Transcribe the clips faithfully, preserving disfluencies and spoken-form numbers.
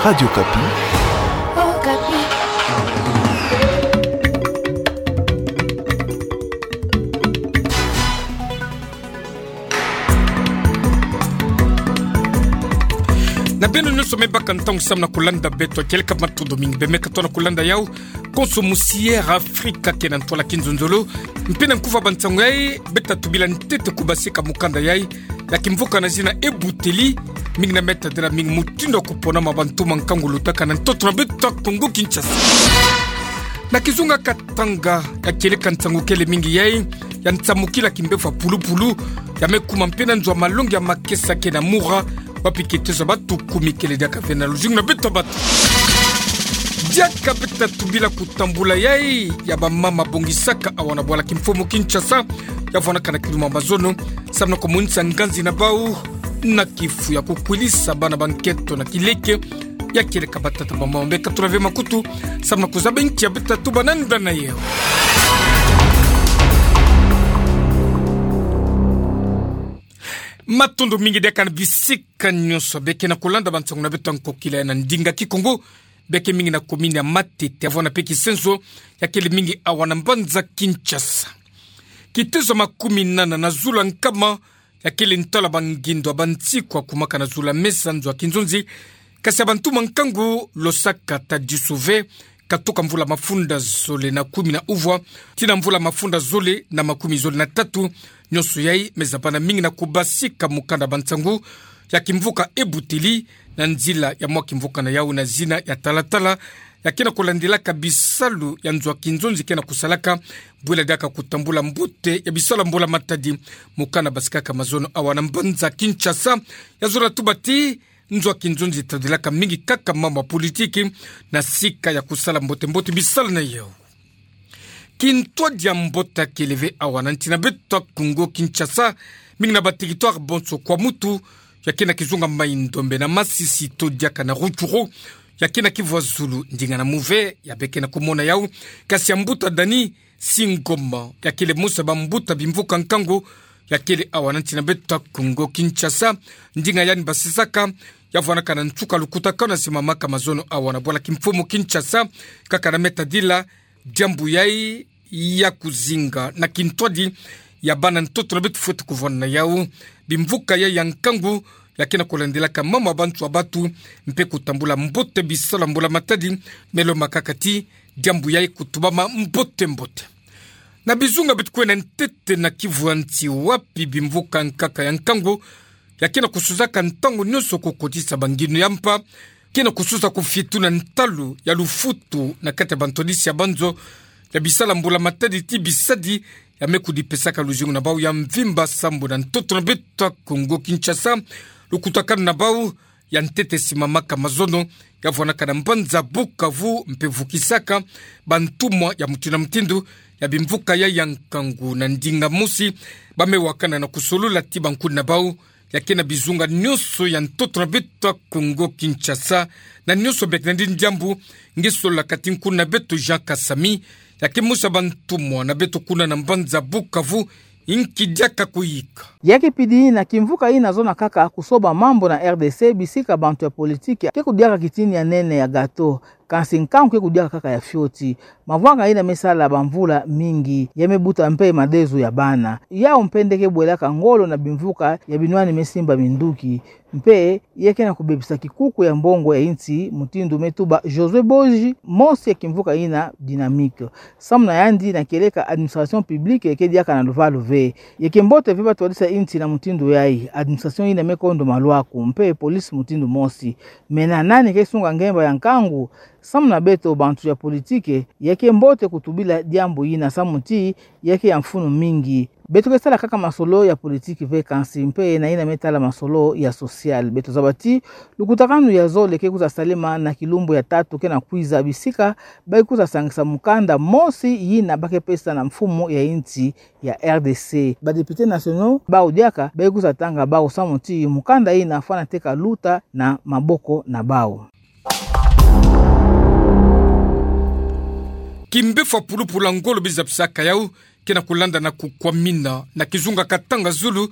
Radio Okapi. Na beno nyonso me baka ntangu samu na kulanda beto, kieleka matondo mingi bemeka tona kulanda yau. Konso musi Air Africa ke na ntwala kinzonzolo. Mpe na nkufi ya bansango yai, beta tubila ntete kubasika mukanda yai ya kimvuka na zina Ebuteli, mingi na meta dera mingi mutindu ya kupona ma bantu ma nkangu lutaka na ntoto na beto ya Kongo Kinshasa. Na kizunga katanga ya kieleka nsangu kele mingi yai, ya nsamukila kimbevo ya pulupulu, ya me kuma mpe na nzo ya malongi ya makesa ke na Mura, wapi kitezo ya batu kumi kele diaka ve na luzingu na beto ya bato. Diaka beta tubila kutambula yai ya bamama bongisaka awa na bwala kimfumu Kinshasa, ya vwanaka na kiluma mazono, samu na kumonisa nganzi na bau na kifu ya kukwilisa bana ba nkento na kileke, ya kieleka batata bamama beka tula ve makutu, samu na kuzaba nki ya beta tuba na nda na yau. Matondo mingi diaka na bisika nyonso beke na kulanda bansango na beto ya nkokila ya na ndinga Kikongo, beke mingi na komini ya Matete, ya vwanda mpe Kisenzo, ya kele mingi awa na mbanza Kinshasa. Kitezo ya makumi nana na zulu ya nkama, ya kele ntwala bangindo ya bansiku ya kumaka na zulu ya mesa nzo ya kinzonzi, kasi ya bantu ma nkangu Losaka Tadisu ve, katuka mvula mafunda zole na kumi na uvwa tii na mvula mafunda zole na makumi zole na tatu, nyonso yai me zabana mingi na kubasika mukanda ya bansangu ya kimvuka Ebuteli, na nzila ya mwa kimvuka na yau na zina ya talatala, ya ke na kulandilaka bisalu ya nzo ya kinzonzi ke na kusalaka, bwela diaka kutambula mbote ya bisalu ya mbula matadi. Mukanda basikaka mazono awa na mbanza Kinshasa, ya zola tuba ti nzo ya kinzonzi tadilaka mingi kaka mambu ya politiki, na sika ya kusala mbote mbote bisalu na yau. Kintwadi ya mbote ya kele ve awa na nsi na beto ya Kongo Kinshasa, mingi na ba territoire bonso kwa mutu, ya ke na kizunga Mai-Ndombe na Masisi to diaka na Rutshuru, ya ke na Kivu ya zulu, ndinga na Mouve, ya beke na kumona yau, kasi ya mbuta Dani Singoma, ya kele mosi ya bambuta bimvuka nkangu, ya kele awa na nsi na beto ya Kongo Kinshasa, ndinga yandi basisaka, ya vwanaka na nsuka lukutakanu ya simamaka mazono awa na bwala kimfumu Kinshasa, kaka na me tadila diambu yai ya kuzinga na kintwadi ya bana ntoto na beto fwete kuvwanda na yau. Bimvuka yai ya nkangu, ya ke na kulandilaka mambu ya bantu ya batu, mpe kutambula mbote bisalu ya mbula matadi, me lombakaka ti diambu yai kutubama mbote mbote. Na bizunga beto kwenda ntete na Kivu ya nsi wapi bimvuka nkaka ya nkangu, ya ke na kusuzaka ntangu nyonso kukotisa banginu ya mpa, ke na kusuza kufietuna ntalu ya lufutu na kati ya bantwadisi ya banzo, ya bisalu ya mbula matadi tii bisadi, ya me kudipesaka luzingu na bau ya mvimba sambu na ntoto na beto ya Kongo Kinshasa, lukutakanu na bau ya ntete simamaka mazono, ya vwanaka na mbanza Bukavu mpe vukisaka bantumwa ya mutindu na mutindu, ya bimvuka yai ya nkangu na ndinga mosi, ba me wakana na kusolola ti bankuni na bau, ya ke na bizunga nyonso ya ntoto na beto ya Kongo Kinshasa, na nyonso beke na ndi diambu, nge sololaka ti nkuni na beto Jean Kasami, ya ke mosi ya bantumwa na beto kuna na mbanza Bukavu, nki diaka kuyika. Ya ke pidi yina kimvuka yina zona kaka kusoba mambu na R D C, bisika bantu ya politiki ke kudiaka kitini ya nene ya gato, kansi nkangu ke kudiaka kaka ya fioti. Mavwanga yina me sala bamvula mingi, ya me buta mpe madezo ya bana. Yau mpe nde ke bwelaka ngolo na bimvuka ya binwani me simba minduki. Mpe ya ke na kubebisa kikuku ya mbongo ya insi, mutindu me tuba Josué Boji, mosi ya kimvuka yina Dynamique. Samu na yandi, na kieleka administration publique ke diaka na luvalu ve. Ya ke mbote ve batwadisa insi na mutindu yai, administration yina me kondo malwaku, mpe police mutindu mosi. Mais na nani ke sunga ngemba ya nkangu? Samu na beto bantu ya politiki, ya ke mbote kutubila diambu yina samu ti ya ke ya mfunu mingi. Beto ke sala kaka masolo ya politiki ve, kansi mpe na yina me tala masolo ya social. Beto zaba ti lukutakanu ya zole ke kwiza salema na kilumbu ya tatu ke na kwiza, bisika ba ke kwiza sangisa mukanda mosi yina ba ke pesa na mfumu ya insi ya R D C. Ba députés nationaux bau diaka ba ke kwiza tanga bau samu ti mukanda yina fwana teka luta na maboko na bau. Kimbevo ya pulupulu ya ngolo biza bisaka yau, ke na kulanda na kukwamina na kizunga Katanga zulu,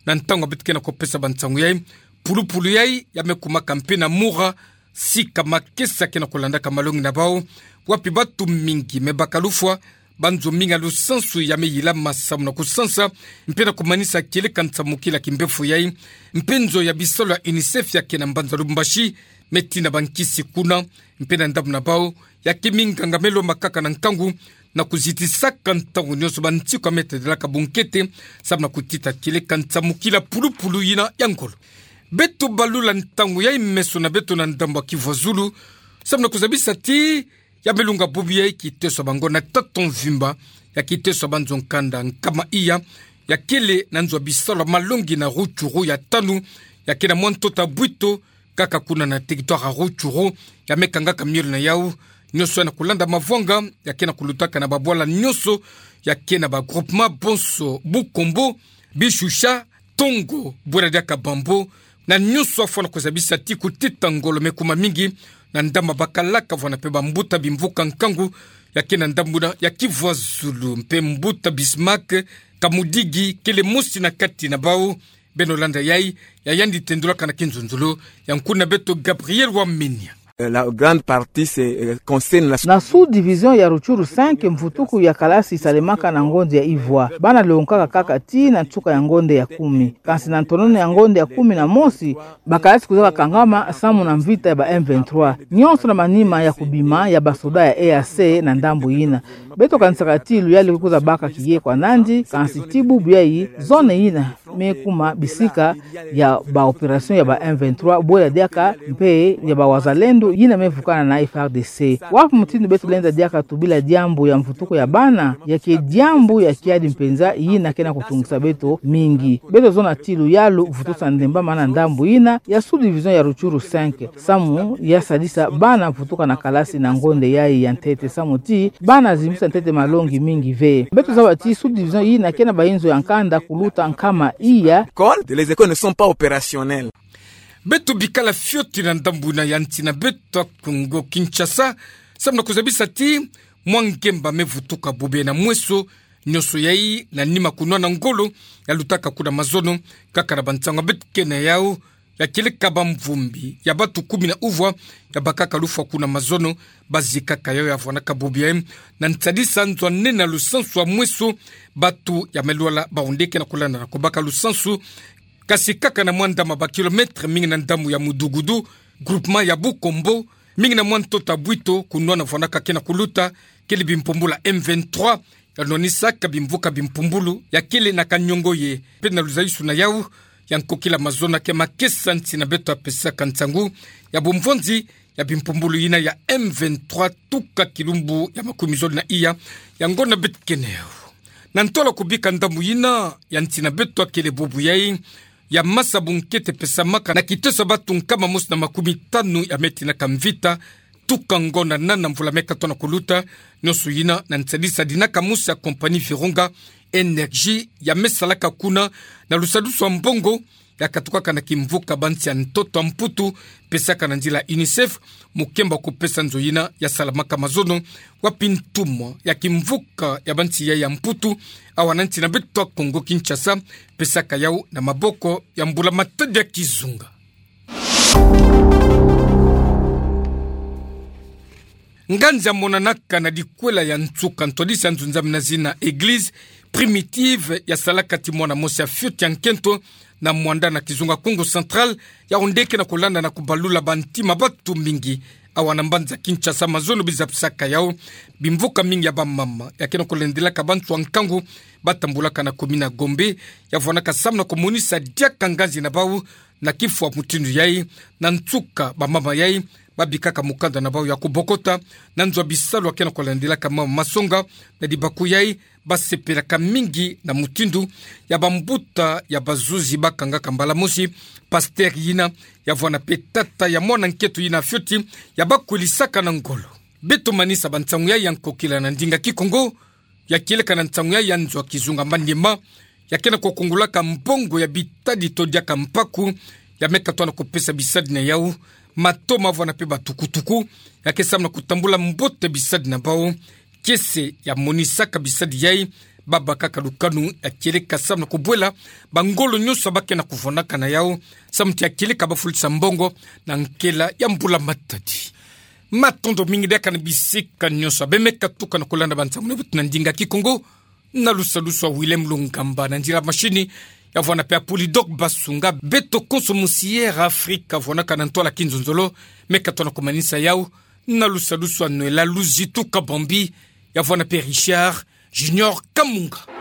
na ntangu beto ke na kupesa bansangu yai. Pulupulu yai ya me kumaka mpe na Mura, Sika makesa ke na kulandaka malongi na bau, wapi batu mingi me baka lufwa, banzo mingi ya lusansu ya me yilama samu na kusansa, mpe na kumanisa kieleka nsamukila kimbefo yai, mpe nzo ya bisalu ya UNICEF ya ke na mbanza Lubumbashi, me tina bankisi kuna, mpe na ndambu na bau, ya ke minganga me lombakaka na nkangu, na kuzitisaka ntangu nionso bantiku ya me tedelaka bunkete, samu na kutita kieleka nsamukila pulupulu yina ya ngolo. Beto balula ntangu yai meso na beto na ndambu ya kivwa zulu, samu na kuzabisa ti ya me lunga bubu yai kiteso ya bango na tata mvimba, ya kiteso ya banzo nkanda nkama iya, ya kele na nzo ya bisalu ya malongi na Rutshuru ya tanu, ya ke na mwa ntoto ya bwito, kaka kuna na territoire ya Rutshuru, ya me kangaka miole na yau, nionso ya na kulanda mavwanga, ya ke na kulutaka na babwala nionso, ya ke na ba groupement bonso, Bukombo, Bishusha, Tongo, bwela diaka Bambo, na nionso afwana kuzabisa ti kutita ngolo me kuma mingi, na ndambu ya bakalaka vwana mpe bambuta bimvuka nkangu, ya ke na ndambu na ya kivwa zulu, mpe mbuta Bismarck Kamudigi, kele mosi na kati na bau, beno landa yai, ya yandi tendulaka na kinzonzolo, ya nkuna beto Gabriel Wamenia. Euh, la grande partie, c'est, euh, concerne la... Na sous-division ya Rutshuru cinq, mvutuku ya kalasi salemaka na ngonde ya ivwa. Bana lonkaka kaka tii na nsuka ya ngonde ya kumi. Kansi na ntonono ya ngonde ya kumi na mosi, bakalasi kwiza kakangama samu na mvita ya ba M vingt-trois. Nionso na manima ya kubima ya basoda ya E A C na ndambu yina. Beto kanisaka ti luyali kwiza baka kiye kwa nandi, kansi ti bubu yai, zone yina me kuma bisika ya ba opération ya ba M vingt-trois, bwela diaka mpe ya ba wazalendo yina me vukana na F A R D C. Wapi mutindu beto lenda diaka tubila diambu ya mvutuku ya bana, ya ke diambu ya kiadi mpenza yina ke na kutungisa beto mingi. Beto zona ti luyalu vutusa ndemba mana ndambu yina ya sous-division ya Rutshuru cinq, samu ya sadisa bana vutuka na kalasi na ngonde yai ya ntete, samu ti bana zimbisa ntete malongi mingi ve. Beto zaba ti sous-division yina ke na bayinzo ya nkanda kuluta nkama iya. École, les écoles ne sont pas opérationnelles. Beto bikala fioti na ndambu na ya nsi na beto ya Kongo Kinshasa, samu na kuzabisa ti mwa ngemba me vutuka bobena mweso, nionso yai na nima kunwana ngolo, ya lutaka kuna mazono, kaka na bansango beto ke na yau, ya kieleka bamvumbi ya batu kumi na uvwa, ya bakaka lufwa kuna mazono, bazikaka yau ya vwanaka bobi yai, na nsadisa nzo ya nene ya lusansu ya mweso, batu ya me lwala bawu nde ke na kulanda na kubaka lusansu, kasi kaka na mwa ndambu ya ba kilomètre mingi na ndambu ya Mudugudu, groupement ya Bukombo, mingi na mwa ntoto ya bwito, kunwana vwanaka ke na kuluta, kele bimpumbulu ya M vingt-trois, ya nwanisaka bimvuka bimpumbulu, ya kele na Kanyongoye, mpe na luzaisu na yau, ya nkokila mazono ke makesa nsi na beto ya pesaka nsangu, ya bumvonzi, ya bimpumbulu yina ya M vingt-trois tuka kilumbu ya makumi zole na iya, ya ngonda beto ke na yau. Na ntola kubika ndambu yina, ya nsi na beto ya kele bobo yai, ya masa bunkete pesamaka na kiteso ya batu nkama mosi na makumi tanu ya me tinaka mvita, tuka ngonda nana mvula me katona kuluta, nionso yina na nsadisa dinaka mosi ya compagnie Virunga Energy, ya me salaka kuna, na lusadusu ya mbongo, ya katukaka na kimvuka bansi ya ntoto ya Mputu, pesaka na nzila UNICEF, mukemba kupesa nzo yina ya salamaka mazono, wapi ntumwa ya kimvuka ya bansi yai ya Mputu, awa na nsi na beto ya Kongo Kinshasa, pesaka yau na maboko ya mbula matadi ya kizunga. Nganzi ya monanaka na dikwela ya nsuka ntwadisi ya nzunzami na zina Église Primitive ya salaka ti mwana mosi ya fioti ya nkento na Muanda na kizunga Kongo Central, yau nde ke na kulanda na kubalula bantima batu mingi. Awa na mbanza Kinshasa mazono bizapisaka yau, bimvuka mingi ya bamama ya ke na kulendelaka bantu ya nkangu, batambulaka na commune ya Gombe, ya vwanaka samu na kumonisa diaka nganzi na bau, na kifwa mutindu yai, na nsuka bamama yai, babikaka mukanda na bau ya kubokota, na nzo ya bisalu ya ke na kulendelaka mama masonga, na dibaku yai, basepelaka mingi na mutindu ya bambuta ya bazuzi bakangaka mbala mosi, pasteur yina, ya vwana mpe tata ya mwana nketo yina fioti, ya bakwilisaka na ngolo. Beto manisa bansangu yai ya nkokila na ndinga Kikongo, ya kieleka na nsangu yai ya nzo ya kizunga Maniema, ya ke na kukungulaka mbongo ya bitadi to diaka mpaku, ya me katona kupesa bisadi na yau, mato ma vwana mpe batukutuku, ya ke samu na kutambula mbote bisadi na bau, kiese ya monisaka bisadi yai, babaka ka lukanu ya kieleka samu na kubwela bangolo nyonso abakena kuvwanaka na yau, samu ti ya kieleka bafulisa mbongo na nkela ya mbula matadi. Matondo mingi diaka na bisika nyonso abe meka tuka na kulanda bansangu na beto na ndinga Kikongo, na lusalusu a Willem Lungamba, na nzila machine ya vwanape a Polydor Basunga. Beto konso musi Air Afrika vwanaka na ntwala kinzonzolo, meka tona kumanisa yau na lusalusu a Noëlla Luzitu Kabambi, ya vwanape Richard Junior Kamunga.